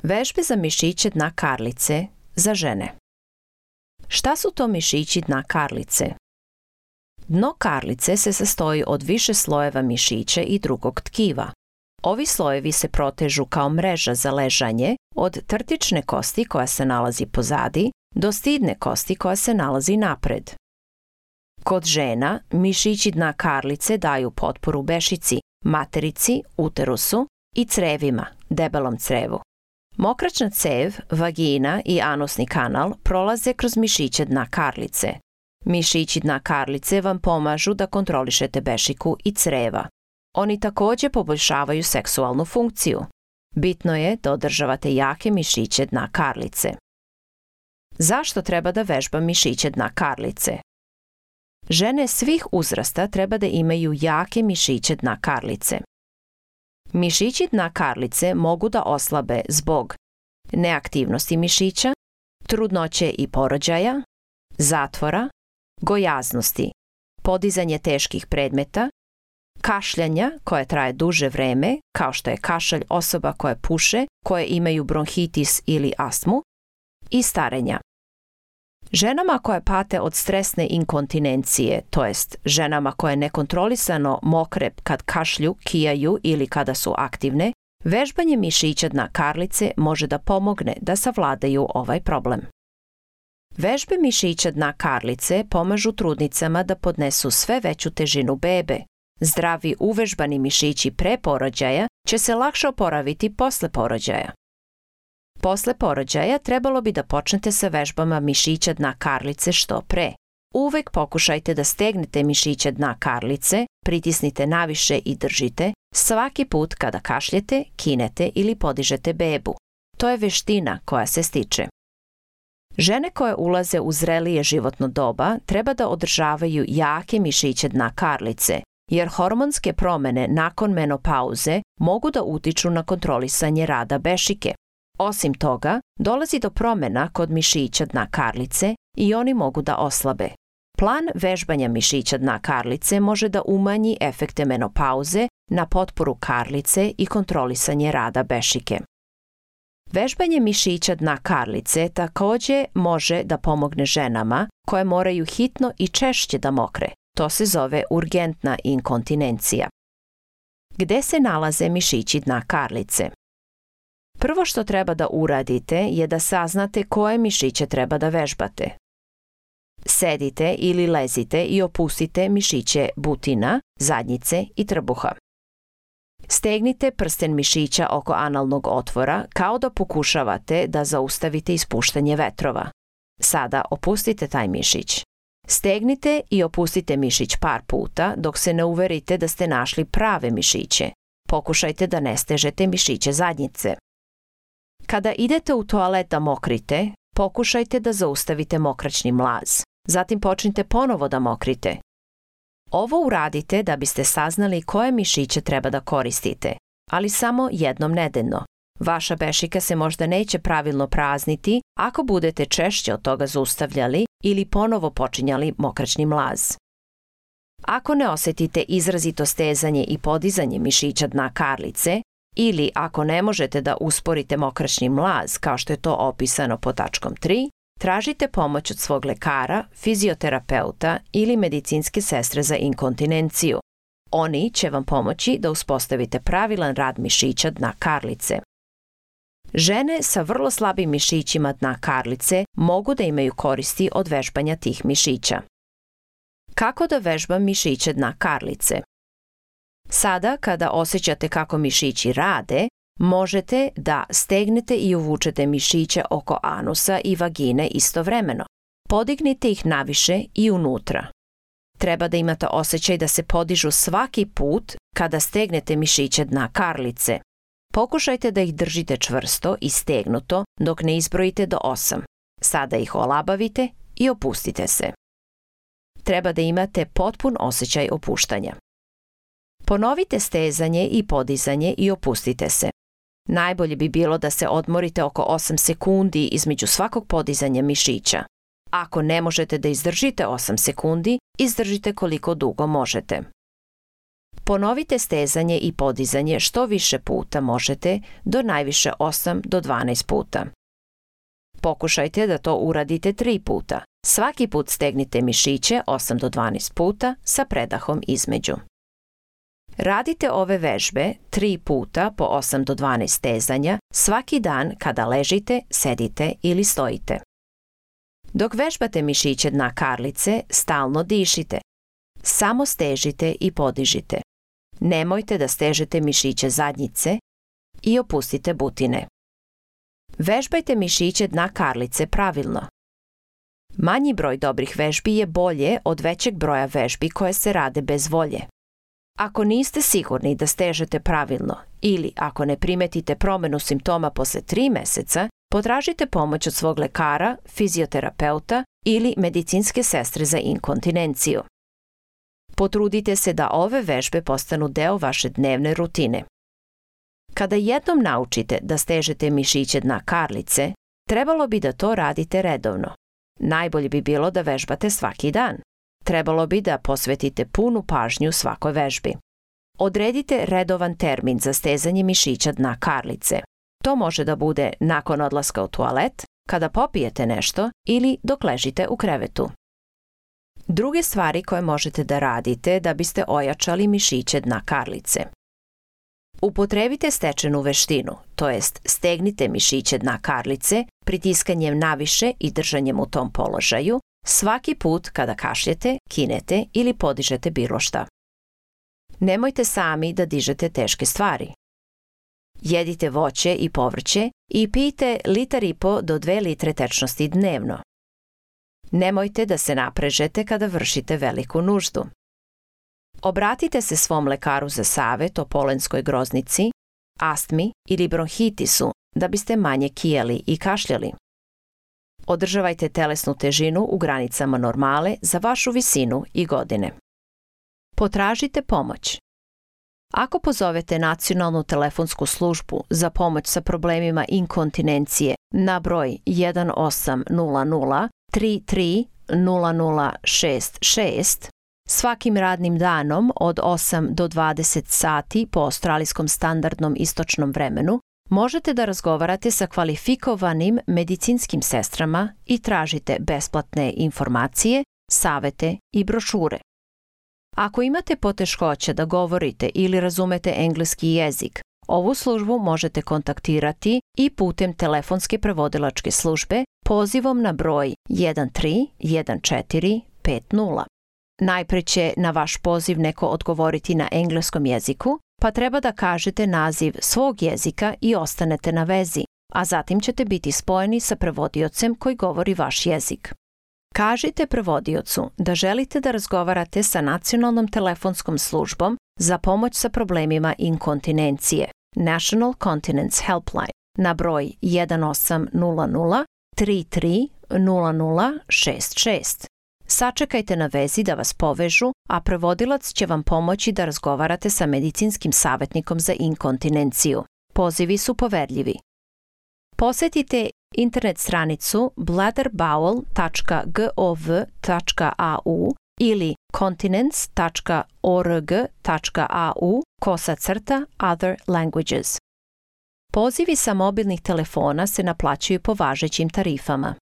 Vežbe za mišiće dna karlice za žene. Šta su to mišići dna karlice? Dno karlice se sastoji od više slojeva mišića i drugog tkiva. Ovi slojevi se protežu kao mreža za ležanje od trtične kosti koja se nalazi pozadi do stidne kosti koja se nalazi napred. Kod žena mišići dna karlice daju potporu bešici, materici, uterusu i crevima, debelom crevu. Mokraćna cev, vagina i anusni kanal prolaze kroz mišiće dna karlice. Mišići dna karlice vam pomažu da kontrolišete bešiku i creva. Oni također poboljšavaju seksualnu funkciju. Bitno je da održavate jake mišiće dna karlice. Zašto treba da vežbam mišiće dna karlice? Žene svih uzrasta treba da imaju jake mišiće dna karlice. Mišići dna karlice mogu da oslabe zbog neaktivnosti mišića, trudnoće i porođaja, zatvora, gojaznosti, podizanje teških predmeta, kašljanja koje traje duže vreme, kao što je kašalj osoba koje puše, koje imaju bronhitis ili astmu, i starenja. Ženama koje pate od stresne inkontinencije, to jest ženama koje nekontrolisano mokre kad kašlju, kijaju ili kada su aktivne, vežbanje mišića dna karlice može da pomogne da savladaju ovaj problem. Vežbe mišića dna karlice pomažu trudnicama da podnesu sve veću težinu bebe. Zdravi uvežbani mišići pre porođaja će se lakše oporaviti posle porođaja. Posle porođaja trebalo bi da počnete sa vežbama mišića dna karlice što pre. Uvek pokušajte da stegnete mišiće dna karlice, pritisnite naviše i držite svaki put kada kašljete, kinete ili podižete bebu. To je veština koja se stiče. Žene koje ulaze u zrelije životno doba treba da održavaju jake mišiće dna karlice, jer hormonske promene nakon menopauze mogu da utiču na kontrolisanje rada bešike. Osim toga, dolazi do promena kod mišića dna karlice i oni mogu da oslabe. Plan vežbanja mišića dna karlice može da umanji efekte menopauze na potporu karlice i kontrolisanje rada bešike. Vežbanje mišića dna karlice također može da pomogne ženama koje moraju hitno i češće da mokre. To se zove urgentna inkontinencija. Gde se nalaze mišići dna karlice? Prvo što treba da uradite je da saznate koje mišiće treba da vežbate. Sedite ili lezite i opustite mišiće butina, zadnjice i trbuha. Stegnite prsten mišića oko analnog otvora kao da pokušavate da zaustavite ispuštanje vetrova. Sada opustite taj mišić. Stegnite i opustite mišić par puta dok se ne uverite da ste našli prave mišiće. Pokušajte da ne stežete mišiće zadnjice. Kada idete u toalet da mokrite, pokušajte da zaustavite mokraćni mlaz. Zatim počnite ponovo da mokrite. Ovo uradite da biste saznali koje mišiće treba da koristite, ali samo jednom nedeljno. Vaša bešika se možda neće pravilno prazniti ako budete češće od toga zaustavljali ili ponovo počinjali mokraćni mlaz. Ako ne osetite izrazito stezanje i podizanje mišića dna karlice, ili ako ne možete da usporite mokraćni mlaz kao što je to opisano pod tačkom 3, tražite pomoć od svog lekara, fizioterapeuta ili medicinske sestre za inkontinenciju. Oni će vam pomoći da uspostavite pravilan rad mišića dna karlice. Žene sa vrlo slabim mišićima dna karlice mogu da imaju koristi od vežbanja tih mišića. Kako da vežbam mišiće dna karlice? Sada, kada osjećate kako mišići rade, možete da stegnete i uvučete mišiće oko anusa i vagine istovremeno. Podignite ih naviše i unutra. Treba da imate osjećaj da se podižu svaki put kada stegnete mišiće dna karlice. Pokušajte da ih držite čvrsto i stegnuto dok ne izbrojite do 8. Sada ih olabavite i opustite se. Treba da imate potpun osjećaj opuštanja. Ponovite stezanje i podizanje i opustite se. Najbolje bi bilo da se odmorite oko 8 sekundi između svakog podizanja mišića. Ako ne možete da izdržite 8 sekundi, izdržite koliko dugo možete. Ponovite stezanje i podizanje što više puta možete, do najviše 8 do 12 puta. Pokušajte da to uradite 3 puta. Svaki put stegnite mišiće 8 do 12 puta sa predahom između. Radite ove vežbe 3 puta po 8 do 12 stezanja svaki dan kada ležite, sedite ili stojite. Dok vežbate mišiće dna karlice, stalno dišite. Samo stežite i podižite. Nemojte da stežete mišiće zadnjice i opustite butine. Vežbajte mišiće dna karlice pravilno. Manji broj dobrih vežbi je bolje od većeg broja vežbi koje se rade bez volje. Ako niste sigurni da stežete pravilno ili ako ne primetite promenu simptoma posle 3 meseca, potražite pomoć od svog lekara, fizioterapeuta ili medicinske sestre za inkontinenciju. Potrudite se da ove vežbe postanu deo vaše dnevne rutine. Kada jednom naučite da stežete mišiće dna karlice, trebalo bi da to radite redovno. Najbolje bi bilo da vežbate svaki dan. Trebalo bi da posvetite punu pažnju svakoj vežbi. Odredite redovan termin za stezanje mišića dna karlice. To može da bude nakon odlaska u toalet, kada popijete nešto ili dok ležite u krevetu. Druge stvari koje možete da radite da biste ojačali mišiće dna karlice. Upotrebite stečenu veštinu, to jest stegnite mišiće dna karlice pritiskanjem naviše i držanjem u tom položaju svaki put kada kašljete, kinete ili podižete bilo šta. Nemojte sami da dižete teške stvari. Jedite voće i povrće i pijte 1,5 do 2 litre tečnosti dnevno. Nemojte da se naprežete kada vršite veliku nuždu. Obratite se svom lekaru za savet o polenskoj groznici, astmi ili bronhitisu da biste manje kijeli i kašljali. Održavajte telesnu težinu u granicama normale za vašu visinu i godine. Potražite pomoć. Ako pozovete nacionalnu telefonsku službu za pomoć sa problemima inkontinencije na broj 1800 33 0066 svakim radnim danom od 8 do 20 sati po australijskom standardnom istočnom vremenu, možete da razgovarate sa kvalifikovanim medicinskim sestrama i tražite besplatne informacije, savete i brošure. Ako imate poteškoća da govorite ili razumete engleski jezik, ovu službu možete kontaktirati i putem telefonske prevodilačke službe pozivom na broj 131450. Najpre će na vaš poziv neko odgovoriti na engleskom jeziku, pa treba da kažete naziv svog jezika i ostanete na vezi, a zatim ćete biti spojeni sa prevodiocem koji govori vaš jezik. Kažite prevodiocu da želite da razgovarate sa nacionalnom telefonskom službom za pomoć sa problemima inkontinencije, National Continence Helpline, na broj 1800 33 0066. Sačekajte na vezi da vas povežu, a prevodilac će vam pomoći da razgovarate sa medicinskim savjetnikom za inkontinenciju. Pozivi su poverljivi. Posetite internet stranicu bladderbowel.gov.au ili continence.org.au/other languages. Pozivi sa mobilnih telefona se naplaćuju po važećim tarifama.